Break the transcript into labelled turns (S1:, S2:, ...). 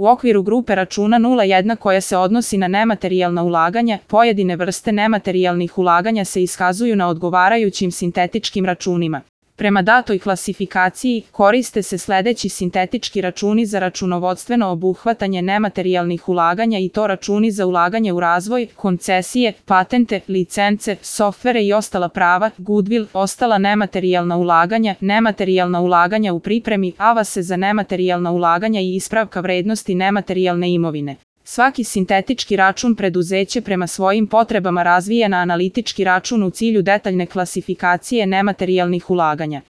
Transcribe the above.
S1: U okviru grupe računa 01 koja se odnosi na nematerijalna ulaganja, pojedine vrste nematerijalnih ulaganja se iskazuju na odgovarajućim sintetičkim računima. Prema datoj klasifikaciji, koriste se sledeći sintetički računi za računovodstveno obuhvatanje nematerijalnih ulaganja i to računi za ulaganje u razvoj, koncesije, patente, licence, softvere i ostala prava, goodwill, ostala nematerijalna ulaganja u pripremi, avase za nematerijalna ulaganja i ispravka vrednosti nematerijalne imovine. Svaki sintetički račun preduzeće prema svojim potrebama razvija na analitički račun u cilju detaljne klasifikacije nematerijalnih ulaganja.